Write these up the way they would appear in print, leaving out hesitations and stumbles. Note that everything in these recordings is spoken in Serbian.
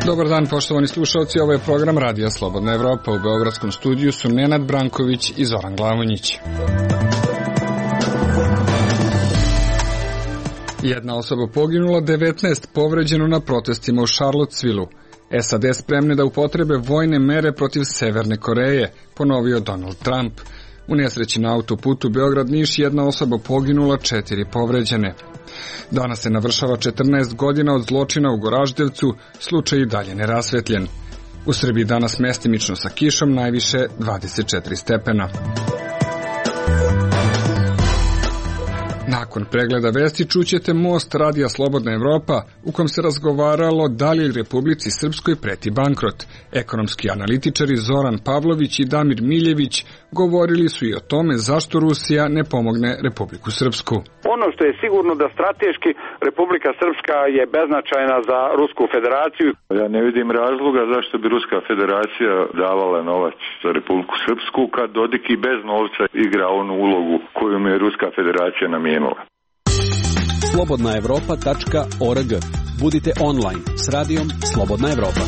Dobar dan, poštovani slušalci, ovo je program Radija Slobodna Evropa. U beogradskom studiju su Nenad Branković i Zoran Glavonjić. Jedna osoba poginula, 19 povređeno na protestima u Charlottesvilleu. SAD spremne da upotrebe vojne mere protiv Severne Koreje, ponovio Donald Trump. U nesreći na autoputu Beograd-Niš jedna osoba poginula, 4 povređene. Danas se navršava 14 godina od zločina u Goraždevcu, slučaj i dalje nerasvetljen. U Srbiji danas mestimično sa kišom, najviše 24 stepena. Nakon pregleda vesti čućete Most Radija Slobodna Evropa, u kom se razgovaralo da li Republici Srpskoj preti bankrot. Ekonomski analitičari Zoran Pavlović i Damir Miljević govorili su i o tome zašto Rusija ne pomogne Republiku Srpsku. Ono što je sigurno da strateški Republika Srpska je beznačajna za Rusku federaciju. Ja ne vidim razloga zašto bi Ruska federacija davala novac za Republiku Srpsku kad Dodik i bez novca igra onu ulogu koju mu je Ruska federacija namijenila. slobodnaevropa.org. Budite online s radijom Slobodna Evropa.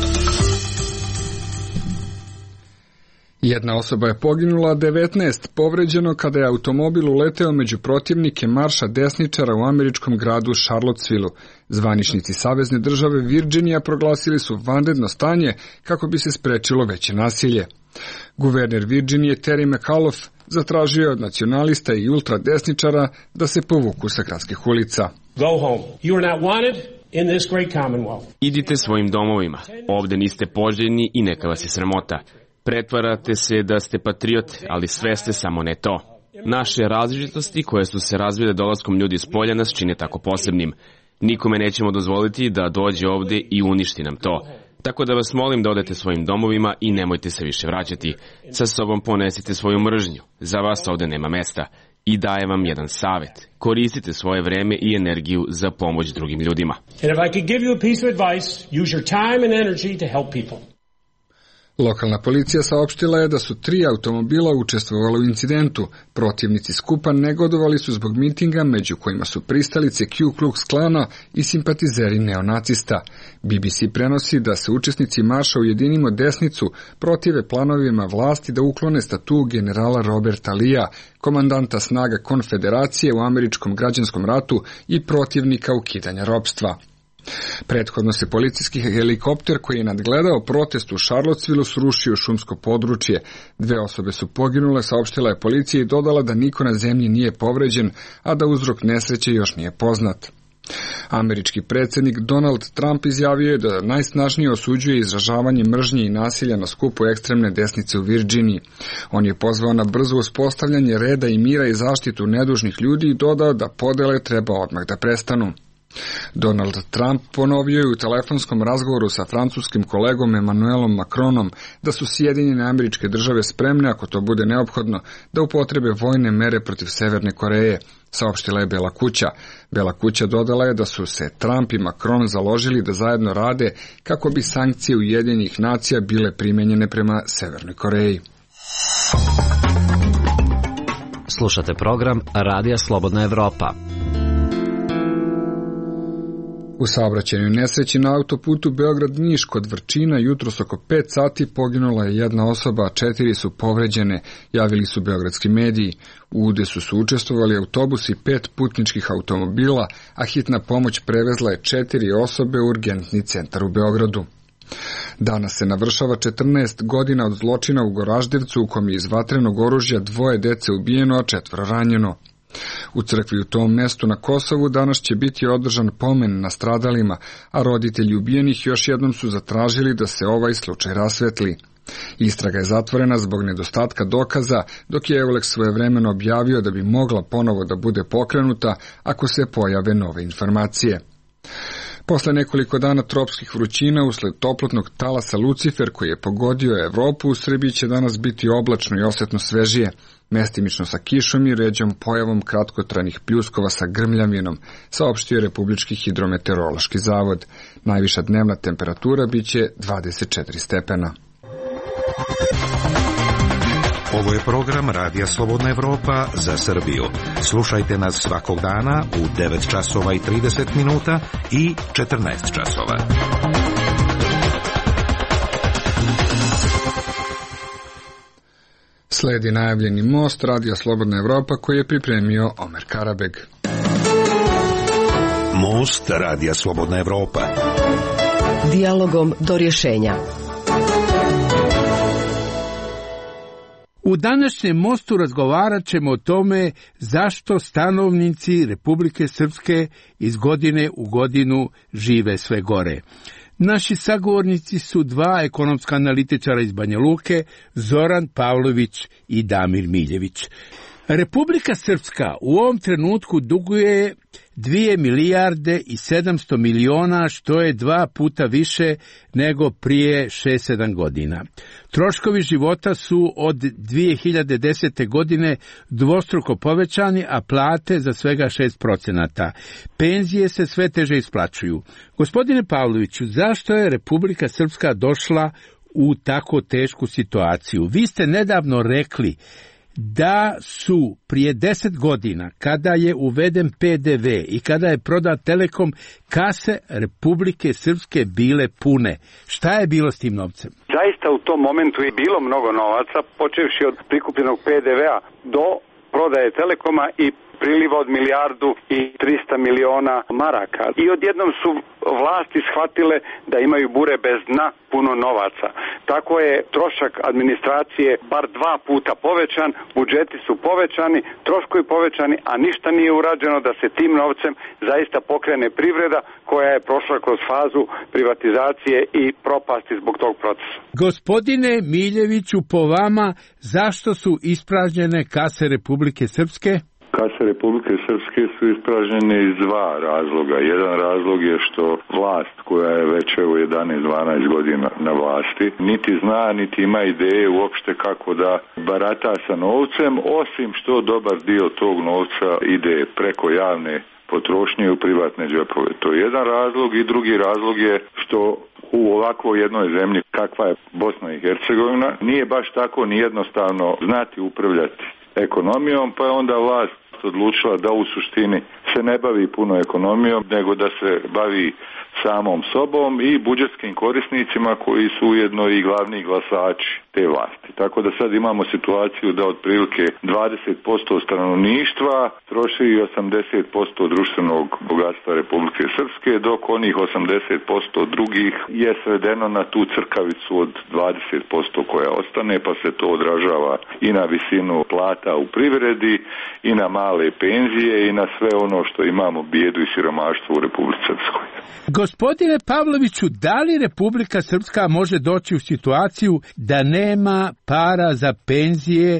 Jedna osoba je poginula, 19 povređeno kada je automobil uleteo među protivnike marša desničara u američkom gradu Charlottesvilleu. Zvaničnici Savezne države Virginija proglasili su vanredno stanje kako bi se sprečilo veće nasilje. Guverner Virginije Terry McAuliffe zatražio je od nacionalista i ultradesničara da se povuku sa gradskih ulica. Go home. You are not wanted in this great commonwealth. Idite svojim domovima. Ovde niste poželjni i neka vas je sramota. Pretvarate se da ste patriot, ali sve ste samo ne to. Naše različitosti koje su se razvile dolaskom ljudi s polja nas čine tako posebnim. Nikome nećemo dozvoliti da dođe ovde i uništi nam to. Tako da vas molim da odete svojim domovima i nemojte se više vraćati. Sa sobom ponesite svoju mržnju. Za vas ovde nema mesta. I daje vam jedan savet. Koristite svoje vreme i energiju za pomoć drugim ljudima. And if I could give you a piece of advice, use your time and energy to help people. Lokalna policija saopštila je da su 3 automobila učestvovali u incidentu. Protivnici skupa negodovali su zbog mitinga, među kojima su pristalice Ku Klux Klana i simpatizeri neonacista. BBC prenosi da se učesnici marša Ujedinimo desnicu protive planovima vlasti da uklone statu generala Roberta Lia, komandanta snaga Konfederacije u američkom građanskom ratu i protivnika ukidanja ropstva. Prethodno se policijski helikopter koji je nadgledao protest u Charlottesvilleu srušio šumsko područje. 2 osobe su poginule, saopštila je policija i dodala da niko na zemlji nije povređen, a da uzrok nesreće još nije poznat. Američki predsjednik Donald Trump izjavio je da najsnažnije osuđuje izražavanje mržnje i nasilja na skupu ekstremne desnice u Virginiji. On je pozvao na brzo uspostavljanje reda i mira i zaštitu nedužnih ljudi i dodao da podele treba odmah da prestanu. Donald Trump ponovio je u telefonskom razgovoru sa francuskim kolegom Emmanuelom Macronom da su Sjedinjene Američke Države spremne, ako to bude neophodno, da upotrebe vojne mere protiv Severne Koreje, saopštila je Bela kuća. Bela kuća dodala je da su se Trump i Macron založili da zajedno rade kako bi sankcije Ujedinjenih nacija bile primenjene prema Severnoj Koreji. Slušate program Radija Slobodna Evropa. U saobraćajnoj nesreći na autoputu Beograd-Niš kod Vrčina jutros oko 5 sati poginula je jedna osoba, a 4 su povređene, javili su beogradski mediji. U udesu su učestvovali autobusi 5 putničkih automobila, a hitna pomoć prevezla je 4 osobe u urgentni centar u Beogradu. Danas se navršava 14 godina od zločina u Goraždevcu u kom je iz vatrenog oružja 2 dece ubijeno, a 4 ranjeno. U crkvi u tom mestu na Kosovu danas će biti održan pomen na stradalima, a roditelji ubijenih još jednom su zatražili da se ovaj slučaj rasvetli. Istraga je zatvorena zbog nedostatka dokaza, dok je Eulex svojevremeno objavio da bi mogla ponovo da bude pokrenuta ako se pojave nove informacije. Posle nekoliko dana tropskih vrućina usled toplotnog talasa Lucifer koji je pogodio Evropu, u Srbiji će danas biti oblačno i osetno svežije, mestimično sa kišom i ređom pojavom kratkotrajnih pljuskova sa grmljavinom, saopštio Republički hidrometeorološki zavod. Najviša dnevna temperatura biće 24 stepena. Ovo je program Radija Slobodna Evropa za Srbiju. Slušajte nas svakog dana u 9 časova i 30 minuta i 14 časova. Sledi najavljeni most Radija Slobodna Evropa koji je pripremio Omer Karabeg. Most Radija Slobodna Evropa. Dijalogom do rješenja. U današnjem mostu razgovarat ćemo o tome zašto stanovnici Republike Srpske iz godine u godinu žive sve gore. Naši sagovornici su dva ekonomska analitičara iz Banja Luke, Zoran Pavlović i Damir Miljević. Republika Srpska u ovom trenutku duguje 2 milijarde i 700 miliona, što je 2 puta više nego prije 6-7 godina. Troškovi života su od 2010. godine dvostruko povećani, a plate za svega 6%. Penzije se sve teže isplaćuju. Gospodine Pavloviću, zašto je Republika Srpska došla u tako tešku situaciju? Vi ste nedavno rekli da su prije 10 godina, kada je uveden PDV i kada je prodat Telekom, kase Republike Srpske bile pune. Šta je bilo s tim novcem? Zaista u tom momentu je bilo mnogo novaca, počevši od prikupljenog PDV-a do prodaje Telekoma i priliva od 1 milijardu i 300 miliona maraka. I odjednom su vlasti shvatile da imaju bure bez dna puno novaca. Tako je trošak administracije bar 2 puta povećan, budžeti su povećani, troškovi povećani, a ništa nije urađeno da se tim novcem zaista pokrene privreda koja je prošla kroz fazu privatizacije i propasti zbog tog procesa. Gospodine Miljeviću, po vama, zašto su ispražnjene kase Republike Srpske? Kase Republike Srpske su ispražnjene iz 2 razloga. Jedan razlog je što vlast koja je već 11-12 godina na vlasti niti zna, niti ima ideje uopšte kako da barata sa novcem, osim što dobar dio tog novca ide preko javne potrošnje u privatne džepove. To je jedan razlog i drugi razlog je što u ovakvoj jednoj zemlji kakva je Bosna i Hercegovina nije baš tako ni jednostavno znati upravljati ekonomijom, pa je onda vlast odlučila da u suštini se ne bavi puno ekonomijom, nego da se bavi samom sobom i budžetskim korisnicima koji su ujedno i glavni glasači te vlasti. Tako da sad imamo situaciju da otprilike 20% stanovništva troši 80% društvenog bogatstva Republike Srpske, dok onih 80% drugih je svedeno na tu crkavicu od 20% koja ostane, pa se to odražava i na visinu plata u privredi, i na male penzije, i na sve ono što imamo bijedu i siromaštvo u Republici Srpskoj. Gospodine Pavloviću, da li Republika Srpska može doći u situaciju da nema para za penzije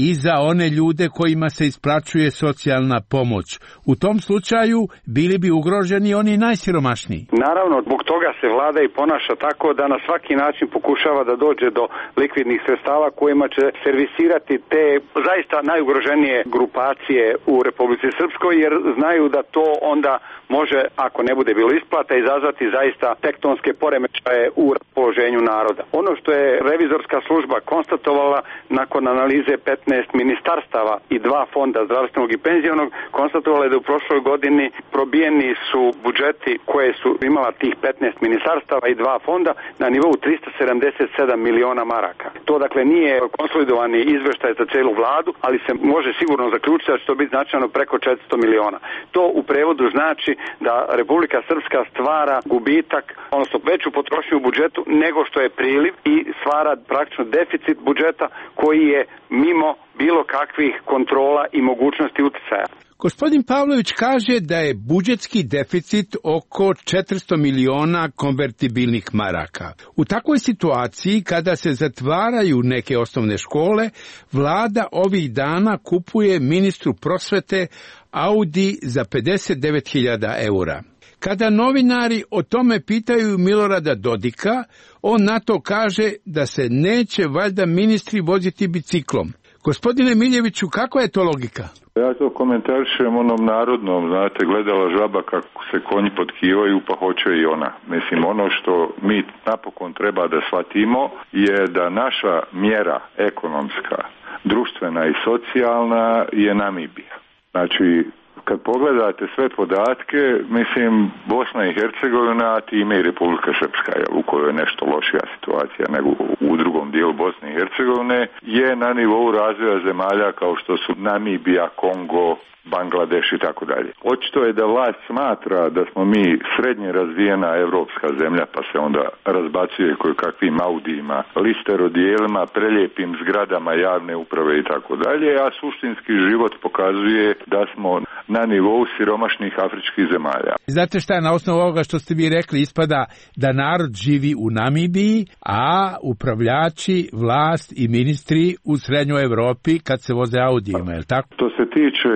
i za one ljude kojima se isplaćuje socijalna pomoć? U tom slučaju bili bi ugroženi oni najsiromašniji. Naravno, zbog toga se vlada i ponaša tako da na svaki način pokušava da dođe do likvidnih sredstava kojima će servisirati te zaista najugroženije grupacije u Republici Srpskoj, jer znaju da to onda može, ako ne bude bilo isplata, izazvati zaista tektonske poremećaje u raspoloženju naroda. Ono što je revizorska služba konstatovala nakon analize 15 ministarstava i 2 fonda zdravstvenog i penzionog, konstatovala je da u prošloj godini probijeni su budžeti koje su imala tih 15 ministarstava i 2 fonda na nivou 377 miliona maraka. To dakle nije konsolidovani izveštaj za celu vladu, ali se može sigurno zaključiti da će to biti značajno preko 400 miliona. To u prevodu znači da Republika Srpska stvara gubitak, odnosno veću potrošnju u budžetu nego što je priliv i stvara praktično deficit budžeta koji je mimo bilo kakvih kontrola i mogućnosti uticaja. Gospodin Pavlović kaže da je budžetski deficit oko 400 miliona konvertibilnih maraka. U takvoj situaciji, kada se zatvaraju neke osnovne škole, vlada ovih dana kupuje ministru prosvete Audi za 59.000 eura. Kada novinari o tome pitaju Milorada Dodika, on na to kaže da se neće valjda ministri voziti biciklom. Gospodine Miljeviću, kakva je to logika? Ja to komentarišem onom narodnom, znate, gledala žaba kako se konji potkivaju, pa hoće i ona. Mislim, ono što mi napokon treba da shvatimo je da naša mjera ekonomska, društvena i socijalna je Namibija. Znači, kad pogledate sve podatke, mislim, Bosna i Hercegovina, a time i Republika Srpska, u kojoj je nešto lošija situacija nego u drugom dijelu Bosne i Hercegovine, je na nivou razvoja zemalja kao što su Namibija, Kongo, Bangladeš i tako dalje. Očito je da vlast smatra da smo mi srednje razvijena evropska zemlja, pa se onda razbacuje kakvim Audijima, listerodijelima, prelijepim zgradama javne uprave i tako dalje, a suštinski život pokazuje da smo na nivou siromašnih afričkih zemalja. Znate šta, na osnovu ovoga što ste vi rekli, ispada da narod živi u Namibiji, a upravljači, vlast i ministri u srednjoj Evropi kad se voze Audijima, je li tako? To se tiče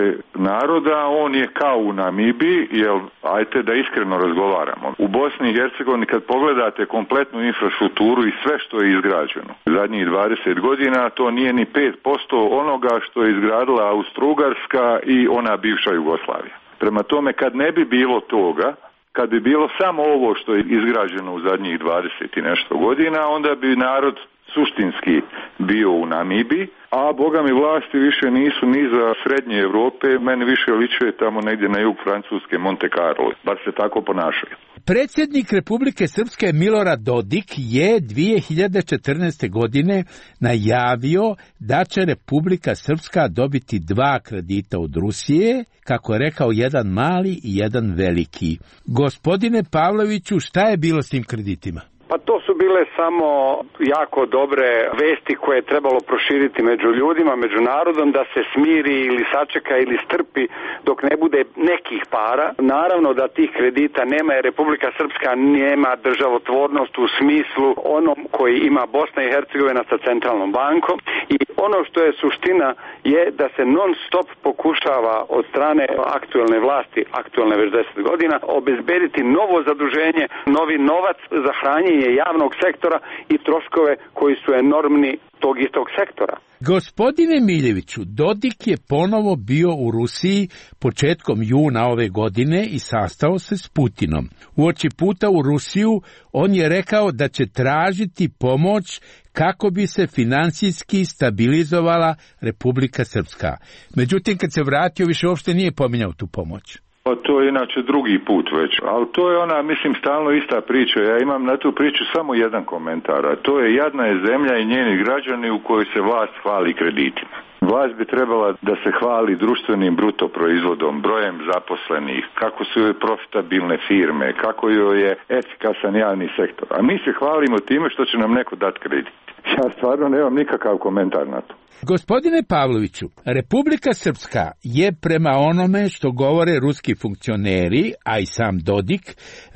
naroda, on je kao u Namibiji, jer ajte da iskreno razgovaramo. U Bosni i Hercegovini kad pogledate kompletnu infrastrukturu i sve što je izgrađeno zadnjih 20 godina, to nije ni 5% onoga što je izgradila Austro-Ugarska i ona bivša Jugoslavija. Prema tome, kad ne bi bilo toga, kad bi bilo samo ovo što je izgrađeno u zadnjih 20 i nešto godina, onda bi narod suštinski bio u Namibiji, a boga mi vlasti više nisu ni za srednje Evrope, meni više ličuje tamo negdje na jug Francuske, Monte Carlo, bar se tako ponašaju. Predsjednik Republike Srpske Milorad Dodik je 2014. godine najavio da će Republika Srpska dobiti 2 kredita od Rusije, kako je rekao, jedan mali i jedan veliki. Gospodine Pavloviću, šta je bilo s tim kreditima? Pa to su bile samo jako dobre vesti koje je trebalo proširiti među ljudima, među narodom, da se smiri ili sačeka ili strpi dok ne bude nekih para. Naravno da tih kredita nema, jer Republika Srpska nema državotvornost u smislu onom koji ima Bosna i Hercegovina sa centralnom bankom, i ono što je suština je da se non stop pokušava od strane aktuelne vlasti, aktuelne već 10 godina, obezbediti novo zaduženje, novi novac za hranjenje javnog sektora i troškove koji su enormni tog istog sektora. Gospodine Miljeviću, Dodik je ponovo bio u Rusiji početkom juna ove godine i sastao se s Putinom. Uoči puta u Rusiju on je rekao da će tražiti pomoć kako bi se financijski stabilizovala Republika Srpska. Međutim, kad se vratio, više uopšte nije pominjao tu pomoć. Pa to je inače drugi put već, ali to je ona, mislim, stalno ista priča. Ja imam na tu priču samo jedan komentar, a to je jadna je zemlja i njeni građani u kojoj se vlast hvali kreditima. Vlast bi trebala da se hvali društvenim bruto proizvodom, brojem zaposlenih, kako su joj profitabilne firme, kako joj je efikasan javni sektor. A mi se hvalimo time što će nam neko dati kredit. Ja stvarno nemam nikakav komentar na to. Gospodine Pavloviću, Republika Srpska je prema onome što govore ruski funkcioneri, a i sam Dodik,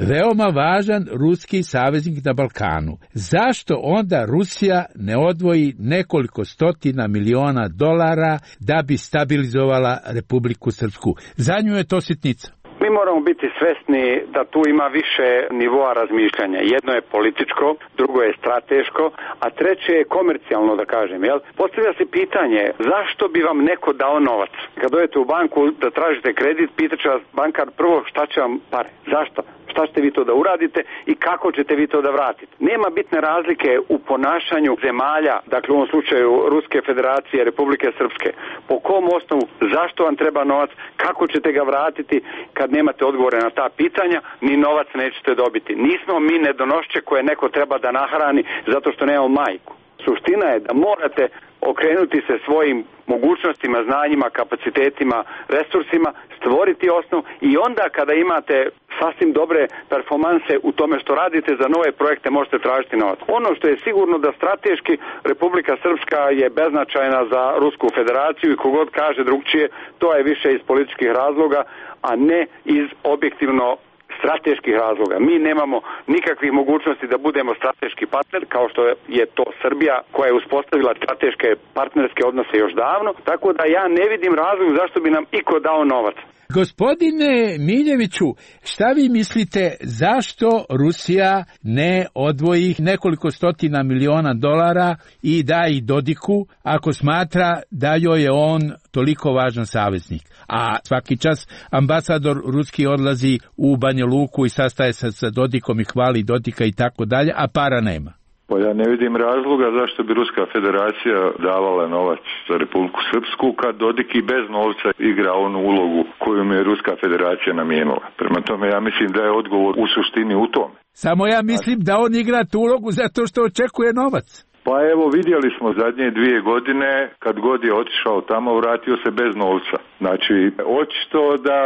veoma važan ruski saveznik na Balkanu. Zašto onda Rusija ne odvoji nekoliko stotina miliona dolara da bi stabilizovala Republiku Srpsku? Za nju je to sitnica. Mi moramo biti svesni da tu ima više nivoa razmišljanja. Jedno je političko, drugo je strateško, a treće je komercijalno, da kažem. Jel? Postavlja se pitanje, zašto bi vam neko dao novac? Kad dođete u banku da tražite kredit, pitaće vas bankar prvo šta će vam pare. Zašto? Šta ćete vi to da uradite i kako ćete vi to da vratite? Nema bitne razlike u ponašanju zemalja, dakle u ovom slučaju Ruske federacije, Republike Srpske. Po kom osnovu, zašto vam treba novac, kako ćete ga vratiti? Kad nemate odgovore na ta pitanja, ni novac nećete dobiti. Nismo mi nedonošće koje neko treba da nahrani zato što nemamo majku. Suština je da morate okrenuti se svojim mogućnostima, znanjima, kapacitetima, resursima, stvoriti osnov i onda kada imate sasvim dobre performanse u tome što radite za nove projekte možete tražiti novac. Ono što je sigurno da strateški Republika Srpska je beznačajna za Rusku federaciju i kogod kaže drugčije, to je više iz političkih razloga, a ne iz objektivno strateških razloga. Mi nemamo nikakvih mogućnosti da budemo strateški partner, kao što je to Srbija, koja je uspostavila strateške partnerske odnose još davno, tako da ja ne vidim razlog zašto bi nam iko dao novac. Gospodine Miljeviću, šta vi mislite zašto Rusija ne odvoji nekoliko stotina miliona dolara i da ih Dodiku ako smatra da joj je on toliko važan saveznik? A svaki čas ambasador ruski odlazi u Banja Luku i sastaje se sa Dodikom i hvali Dodika i tako dalje, a para nema. Pa ja ne vidim razloga zašto bi Ruska federacija davala novac za Republiku Srpsku kad Dodik i bez novca igra onu ulogu koju mu je Ruska federacija namijenila. Prema tome ja mislim da je odgovor u suštini u tome. Samo ja mislim da on igra tu ulogu zato što očekuje novac. Pa evo vidjeli smo zadnje 2 godine kad god je otišao tamo vratio se bez novca. Znači očito da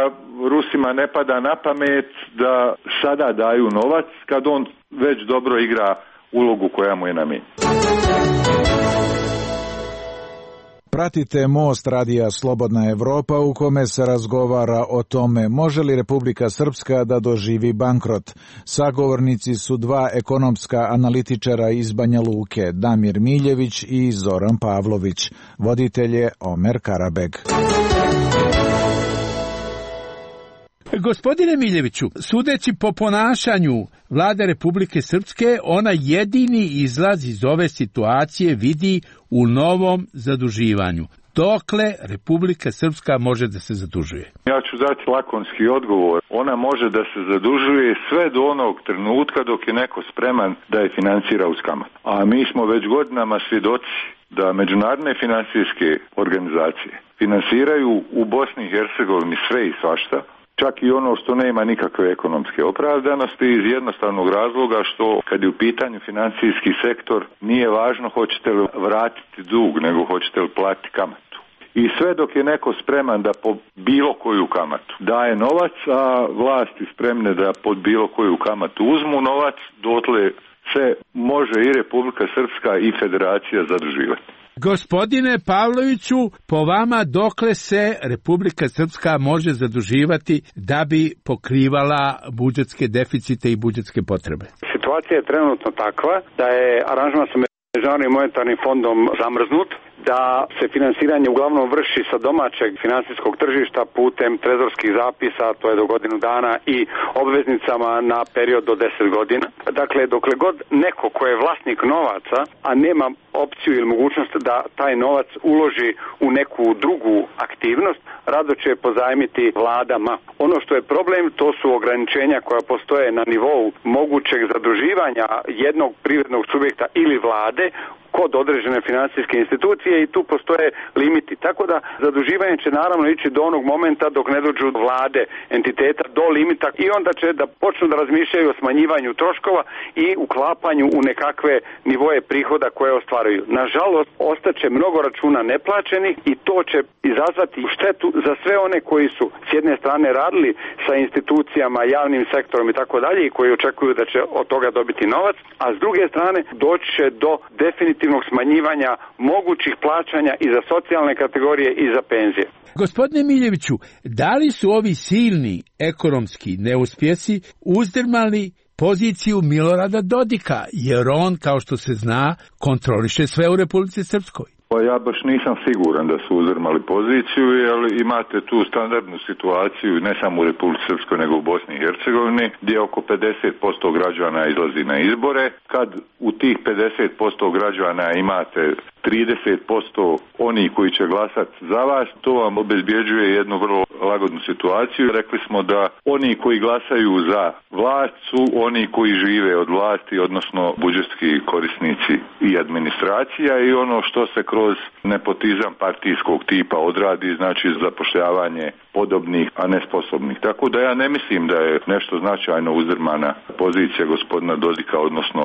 Rusima ne pada na pamet da sada daju novac kad on već dobro igra ulogu koja mu je namijenjena. Pratite Most radija Slobodna Evropa u kome se razgovara o tome može li Republika Srpska da doživi bankrot. Sagovornici su 2 ekonomska analitičara iz Banja Luke, Damir Miljević i Zoran Pavlović. Voditelj je Omer Karabeg. Gospodine Miljeviću, sudeći po ponašanju vlade Republike Srpske, ona jedini izlaz iz ove situacije vidi u novom zaduživanju. Dokle Republika Srpska može da se zadužuje? Ja ću dati lakonski odgovor. Ona može da se zadužuje sve do onog trenutka dok je neko spreman da je financira uz kamat. A mi smo već godinama svjedoci da međunarodne financijske organizacije finansiraju u Bosni i Hercegovini sve i svašta, čak i ono što nema nikakve ekonomske opravdanosti iz jednostavnog razloga što kad je u pitanju financijski sektor nije važno hoćete li vratiti dug nego hoćete li platiti kamatu. I sve dok je neko spreman da po bilo koju kamatu daje novac, a vlasti spremne da pod bilo koju kamatu uzmu novac, dotle se može i Republika Srpska i Federacija zaduživati. Gospodine Pavloviću, po vama dokle se Republika Srpska može zaduživati da bi pokrivala budžetske deficite i budžetske potrebe? Situacija je trenutno takva da je aranžman sa Međunarodnim monetarnim fondom zamrznut, da se finansiranje uglavnom vrši sa domaćeg finansijskog tržišta putem trezorskih zapisa, to je do godinu dana, i obveznicama na period do 10 godina. Dakle, dokle god neko ko je vlasnik novaca, a nema opciju ili mogućnost da taj novac uloži u neku drugu aktivnost, rado će pozajmiti vladama. Ono što je problem, to su ograničenja koja postoje na nivou mogućeg zaduživanja jednog privrednog subjekta ili vlade kod određene financijske institucije i tu postoje limiti. Tako da zaduživanje će naravno ići do onog momenta dok ne dođu vlade entiteta do limita i onda će da počnu da razmišljaju o smanjivanju troškova i uklapanju u nekakve nivoje prihoda koje ostvaruju. Nažalost, ostaće mnogo računa neplaćenih i to će izazvati štetu za sve one koji su s jedne strane radili sa institucijama, javnim sektorom i tako dalje i koji očekuju da će od toga dobiti novac, a s druge strane doći će do definitivnog smanjivanja mogućih plaćanja i za socijalne kategorije i za penzije. Gospodine Miljeviću, da li su ovi silni ekonomski neuspjesi uzdrmali poziciju Milorada Dodika, jer on, kao što se zna, kontroliše sve u Republici Srpskoj? Pa ja baš nisam siguran da su uzdrmali poziciju, jer imate tu standardnu situaciju ne samo u Republici Srpskoj nego u Bosni i Hercegovini, gdje oko 50% građana izlazi na izbore. Kad u tih 50% građana imate 30% oni koji će glasati za vas, to vam obezbjeđuje jednu vrlo lagodnu situaciju. Rekli smo da oni koji glasaju za vlast su oni koji žive od vlasti, odnosno budžetski korisnici i administracija, i ono što se kroz nepotizam partijskog tipa odradi, znači zapošljavanje podobnih, a ne sposobnih. Tako da ja ne mislim da je nešto značajno uzdrmana pozicija gospodina Dodika, odnosno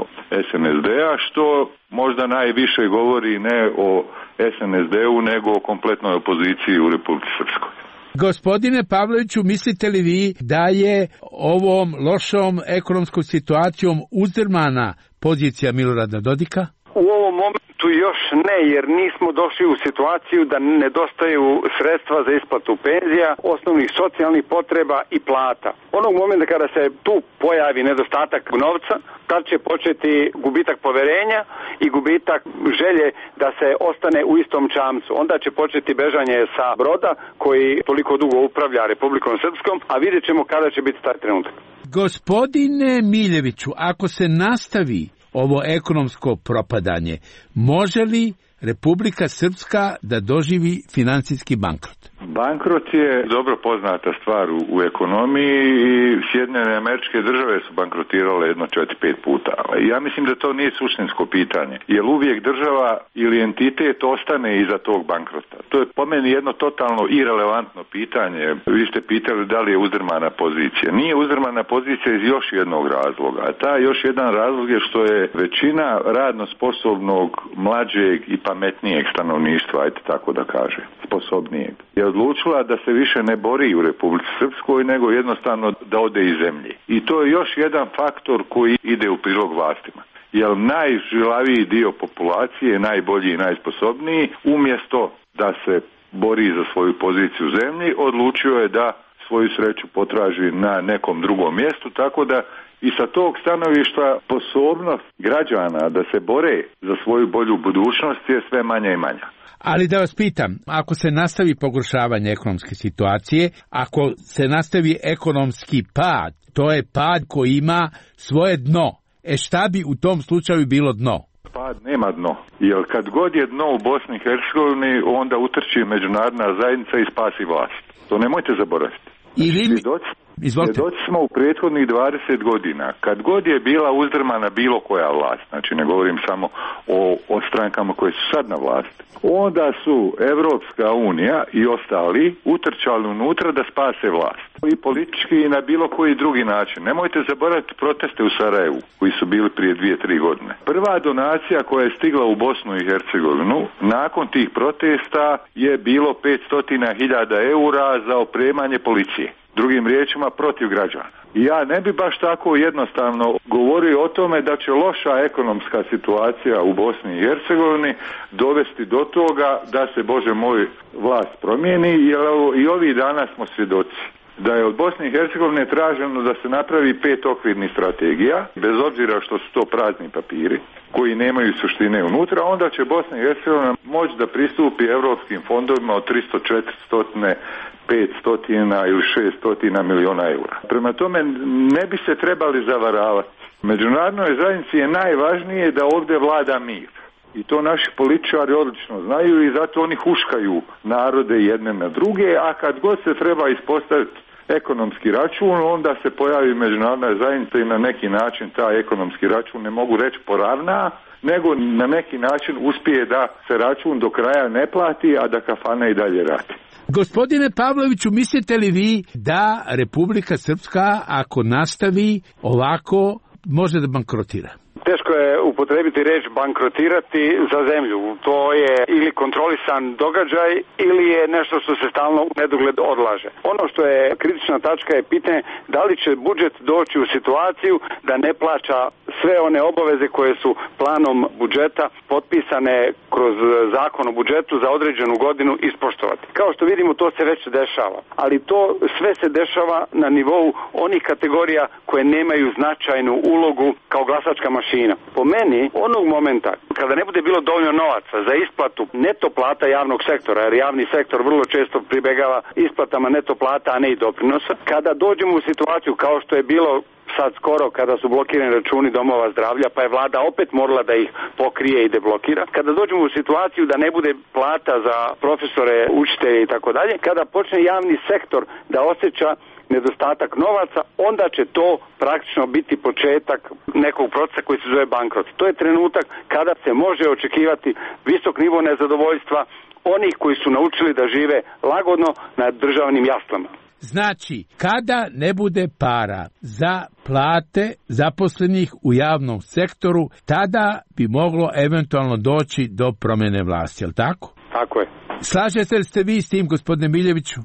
SNSD-a, što možda najviše govori ne o SNSD-u, nego o kompletnoj opoziciji u Republici Srpskoj. Gospodine Pavloviću, mislite li vi da je ovom lošom ekonomskom situacijom uzdrmana pozicija Milorada Dodika? U ovom momentu još ne, jer nismo došli u situaciju da nedostaju sredstva za isplatu penzija, osnovnih socijalnih potreba i plata. Onog momenta kada se tu pojavi nedostatak novca, tad će početi gubitak poverenja i gubitak želje da se ostane u istom čamcu. Onda će početi bežanje sa broda koji toliko dugo upravlja Republikom Srpskom, a vidjet ćemo kada će biti taj trenutak. Gospodine Miljeviću, ako se nastavi ovo ekonomsko propadanje, može li Republika Srpska da doživi financijski bankrot? Bankrot je dobro poznata stvar u ekonomiji i Sjedinjene Američke Države su bankrotirale jedno 4-5 puta. Ja mislim da to nije suštinsko pitanje, jer uvijek država ili entitet ostane iza tog bankrota. To je po meni jedno totalno irelevantno pitanje. Vi ste pitali da li je uzdrmana pozicija. Nije uzdrmana pozicija iz još jednog razloga. A taj još jedan razlog je što je većina radno sposobnog, mlađeg i pametnijeg stanovništva, ajde tako da kaže, sposobnijeg, je odlučila da se više ne bori u Republici Srpskoj, nego jednostavno da ode iz zemlje. I to je još jedan faktor koji ide u prilog vlastima. Jer najžilaviji dio populacije, najbolji i najsposobniji, umjesto da se bori za svoju poziciju u zemlji, odlučio je da svoju sreću potraži na nekom drugom mjestu, tako da i sa tog stanovišta sposobnost građana da se bore za svoju bolju budućnost je sve manja i manja. Ali da vas pitam, ako se nastavi pogoršavanje ekonomske situacije, ako se nastavi ekonomski pad, to je pad koji ima svoje dno. Šta bi u tom slučaju bilo dno? Pad nema dno, jer kad god je dno u Bosni i Hercegovini, onda utrči međunarodna zajednica i spasi vlast. To nemojte zaboraviti. Svjedoci smo u prethodnih 20 godina, kad god je bila uzdrmana bilo koja vlast, znači ne govorim samo o strankama koje su sad na vlasti, onda su Evropska unija i ostali utrčali unutra da spase vlast. I politički i na bilo koji drugi način. Nemojte zaboraviti proteste u Sarajevu, koji su bili prije 2-3 godine. Prva donacija koja je stigla u Bosnu i Hercegovinu, nakon tih protesta je bilo 500.000 eura za opremanje policije. Drugim riječima, protiv građana. I ja ne bi baš tako jednostavno govorio o tome da će loša ekonomska situacija u Bosni i Hercegovini dovesti do toga da se, Bože moj, vlast promijeni, jer i ovih dana smo svjedoci da je od Bosne i Hercegovine traženo da se napravi 5 okvirnih strategija, bez obzira što su to prazni papiri koji nemaju suštine unutra, onda će Bosna i Hercegovina moći da pristupi europskim fondovima od 300, 400, 500 ili 600 miliona eura. Prema tome ne bi se trebali zavaravati. Međunarodnoj zajednici je najvažnije da ovdje vlada mir. I to naši političari odlično znaju i zato oni huškaju narode jedne na druge, a kad god se treba ispostaviti ekonomski račun, onda se pojavi međunarodna zajednica i na neki način taj ekonomski račun, ne mogu reći poravna, nego na neki način uspije da se račun do kraja ne plati, a da kafana i dalje radi. Gospodine Pavloviću, mislite li vi da Republika Srpska, ako nastavi ovako, može da bankrotira? Teško je upotrebiti riječ bankrotirati za zemlju. To je ili kontrolisan događaj ili je nešto što se stalno u nedogled odlaže. Ono što je kritična tačka je pitanje da li će budžet doći u situaciju da ne plaća sve one obaveze koje su planom budžeta potpisane kroz zakon o budžetu za određenu godinu ispoštovati. Kao što vidimo, to se već dešava. Ali to sve se dešava na nivou onih kategorija koje nemaju značajnu ulogu kao glasačka mašina. Po meni, onog momenta kada ne bude bilo dovoljno novaca za isplatu neto plata javnog sektora, jer javni sektor vrlo često pribegava isplatama neto plata, a ne i doprinosa, kada dođemo u situaciju kao što je bilo sad skoro kada su blokirani računi domova zdravlja, pa je vlada opet morala da ih pokrije i deblokira. Kada dođemo u situaciju da ne bude plata za profesore, učitelje i tako dalje, kada počne javni sektor da osjeća nedostatak novaca, onda će to praktično biti početak nekog procesa koji se zove bankrot. To je trenutak kada se može očekivati visok nivo nezadovoljstva onih koji su naučili da žive lagodno na državnim jaslama. Znači, kada ne bude para za plate zaposlenih u javnom sektoru, tada bi moglo eventualno doći do promjene vlasti, jel tako? Tako je. Slažete li ste vi s tim, gospodine Miljeviću?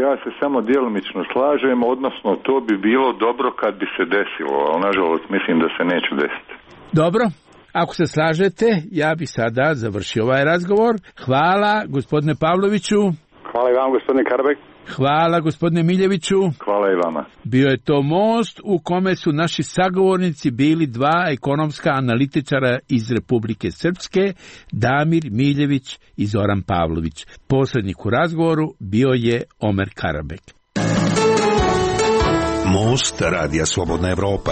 Ja se samo djelomično slažem, odnosno to bi bilo dobro kad bi se desilo, ali nažalost mislim da se neće desiti. Dobro, Ako se slažete, ja bih sada završio ovaj razgovor. Hvala, gospodine Pavloviću. Hvala i vam, gospodine Karabek. Hvala, gospodine Miljeviću. Hvala i vama. Bio je to most u kome su naši sagovornici bili dva ekonomska analitičara iz Republike Srpske, Damir Miljević i Zoran Pavlović. Posrednik u razgovoru bio je Omer Karabek. Most Radija Slobodna Evropa.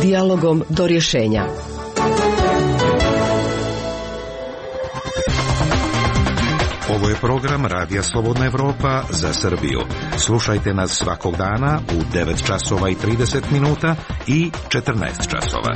Dijalogom do rješenja. Ovo je program Radija Slobodna Evropa za Srbiju. Slušajte nas svakog dana u 9 časova i 30 minuta i 14 časova.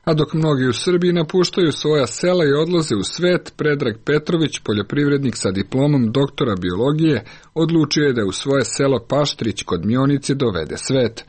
A dok mnogi u Srbiji napuštaju svoja sela i odlaze u svet, Predrag Petrović, poljoprivrednik sa diplomom doktora biologije, odlučio je da u svoje selo Paštrić kod Mionice dovede svet.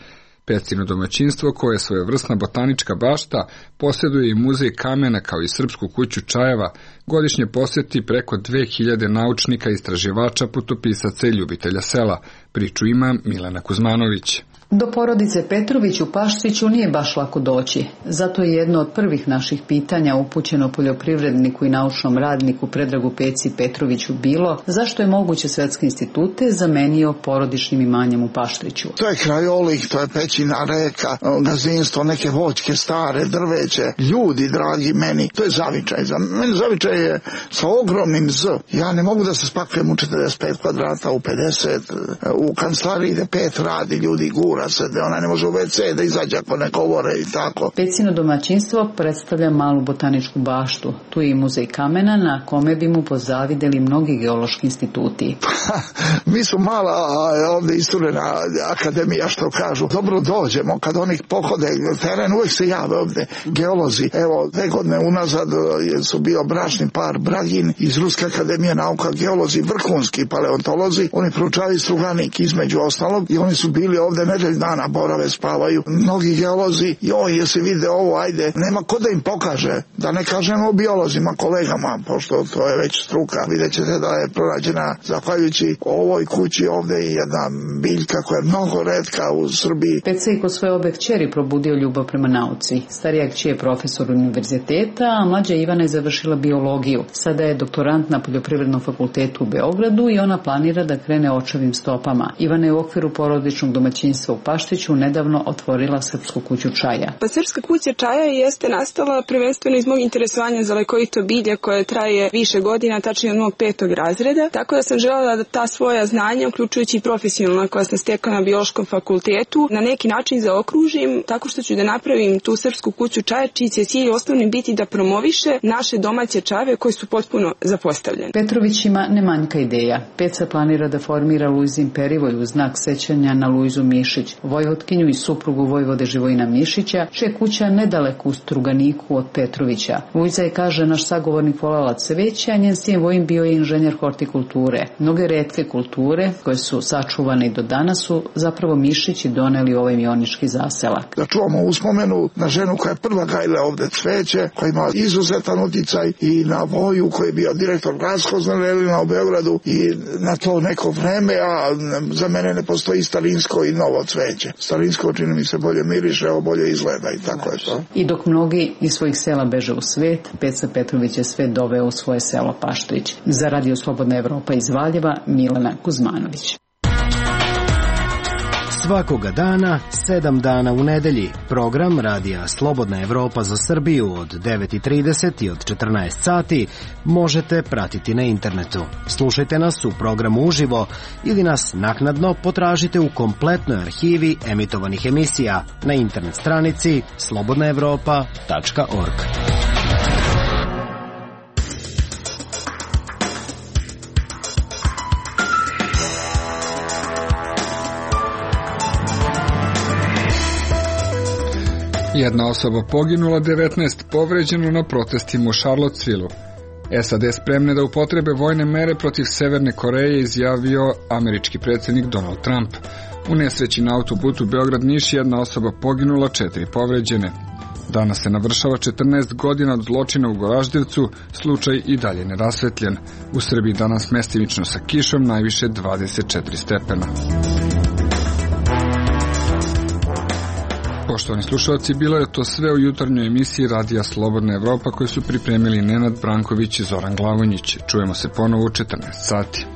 Pecino domaćinstvo, koje je svojevrsna botanička bašta, posjeduje i muzej kamena kao i Srpsku kuću čajeva, godišnje posjeti preko 2000 naučnika, istraživača, putopisaca i ljubitelja sela. Priču ima Milena Kuzmanović. Do porodice Petrović u Paštriću nije baš lako doći. Zato je jedno od prvih naših pitanja upućeno poljoprivredniku i naučnom radniku Predragu Peci Petroviću bilo zašto je moguće svetske institute zamenio porodičnim imanjem u Paštriću. To je krajolik, to je pećina reka, gazinstvo, neke voćke, stare, drveće, ljudi dragi meni. To je zavičaj. Za mene zavičaj je sa ogromnim Z. Ja ne mogu da se spakujem u 45 kvadrata, u 50, u kancelariji da 5 radi ljudi gura se, da ona ne može u WC da izađe ako ne govore i tako. Pecino domaćinstvo predstavlja malu botaničku baštu. Tu je i muzej kamena na kome bi mu pozavideli mnogi geološki instituti. Mi su mala ovdje isturena akademija, što kažu. Dobro dođemo kad oni pohode teren, uvijek se jave ovdje geolozi. Evo, 2 godine unazad su bio bračni par Bragin iz Ruske akademije nauka, geolozi, vrhunski paleontolozi. Oni proučavaju struganik između ostalog i oni su bili ovdje nedelj dana, borave, spavaju. Mnogi geolozi, jesi vide ovo, ajde, nema ko da im pokaže, da ne kažemo o biolozima, kolegama, pošto to je već struka. Vidjet ćete da je pronađena, zahvaljujući ovoj kući ovdje, jedna biljka koja je mnogo retka u Srbiji. Peca i kod svoje obe kćeri probudio ljubav prema nauci. Starija kći je profesor univerziteta, a mlađa Ivana je završila biologiju. Sada je doktorant na Poljoprivrednom fakultetu u Beogradu i ona planira da krene očevim stopama. Ivana je u okviru porodičnog domaćinstva u Paštriću nedavno otvorila Srpsku kuću čaja. Pa Srpska kuća čaja jeste nastala prvenstveno iz mog interesovanja za lekovito bilje koje traje više godina, tačnije od mog 5. razreda. Tako da sam želela da ta svoja znanja, uključujući i profesionalna koja sam stekla na biološkom fakultetu, na neki način zaokružim tako što ću da napravim tu Srpsku kuću čaja, čiji će cilj osnovni biti da promoviše naše domaće čajeve koji su potpuno zapostavljeni. Petrović ima ne manjka ideja. Peca planira da formira Luizin perivoj u znak sećanja na Luizu Mišić, vojvotkinju i suprugu vojvode Živojina Mišića, čija kuća nedaleko u Struganiku od Petrovića. Luiza je, kaže naš sagovornik, volala cveće, a njen sin Vojin bio je inženjer hortikulture. Mnoge retke kulture koje su sačuvane i do danas su zapravo Mišići doneli ovaj mionički zaselak. Da čuvamo uspomenu na ženu koja je prva gajila ovdje cveće, koja ima izuzetan uticaj i na Voju koji je bio direktor Glaskozna Lelina u Beogradu i na to neko vreme, a za mene ne postoji starinsko i novo cveće. Starinsko čini mi se bolje miriše, ovo bolje izgleda i tako je to. I dok mnogi iz svojih sela beže u svet, Peca Petrović je sve doveo u svoje selo Paštrić. Za Radio Slobodna Evropa iz Valjeva, Milena Kuzmanović. Svakoga dana, 7 dana u nedelji, program Radija Slobodna Evropa za Srbiju od 9:30 i od 14 sati možete pratiti na internetu. Slušajte nas u programu uživo ili nas naknadno potražite u kompletnoj arhivi emitovanih emisija na internet stranici slobodnaevropa.org. Jedna osoba poginula, 19 povređeno na protestima u Charlottesville-u. SAD spremne da upotrebe vojne mere protiv Severne Koreje, izjavio američki predsjednik Donald Trump. U nesreći na autoputu Beograd-Niš jedna osoba poginula, 4 povređene. Danas se navršava 14 godina od zločina u Goraždevcu, slučaj i dalje nerasvetljen. U Srbiji danas mestimično sa kišom, najviše 24 stepena. Poštovani slušalci, bilo je to sve u jutarnjoj emisiji Radija Slobodna Evropa koju su pripremili Nenad Branković i Zoran Glavonjić. Čujemo se ponovo u 14 sati.